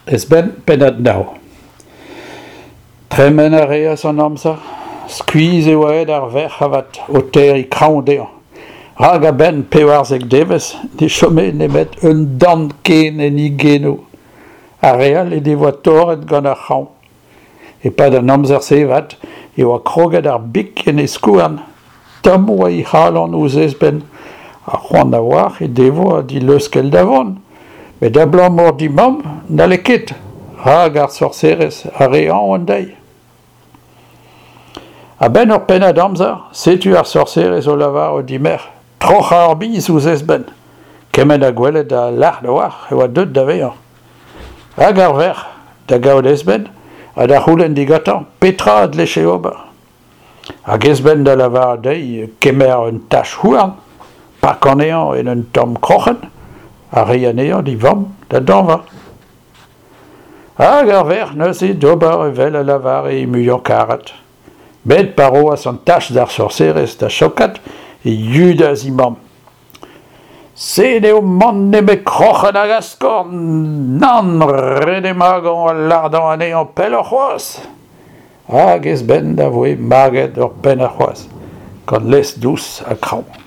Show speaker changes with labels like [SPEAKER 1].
[SPEAKER 1] Esben, pennad nav. Tremen a reas an amzer. Skuizh e oa aet ar verc'h avat o terriñ kraoñ dezhañ. Rak a-benn 14 devezh ne chome nemet un dant ken en he genoù. Ar re all he devoa torret gant ar c'hraoñ. E-pad an amzer-se avat e oa kroget ar big en he skouarn. Tomm oa he c'halon ouzh Esben ha c'hoant a-walc'h he devoa d'he leuskel da vont. Met abalamour d'he mamm n'halle ket, rak ar sorserez a rae aon dezhi. A-benn ur pennad amzer, setu ar sorserez o lavarout d'he merc'h troc'hañ ur biz ouzh Esben. Kement ha gwelet ha lart a-walc'h e oa deuet da vezañ. Hag ar verc'h da gaout Esben ha da c'houlenn digantañ petra a dleje ober. Hag Esben da lavaret dezhi kemer un tach houarn, pakañ anezhañ en un tamm kroc'hen ha reiñ anezhañ d'e vamm da dañva. Hag ar verc'h neuze d'ober evel a lavare he muiañ-karet. Met pa roas an tach d'ar sorserez da chaokat e yudas he mamm. Se n'eo mann nemet kroc'hen hag askorn, nann, ret eo magañ ha lardañ anezhañ pelloc'h c'hoazh. Hag Esben a voe maget ur pennad c'hoazh, gant laezh dous ha kraoñ.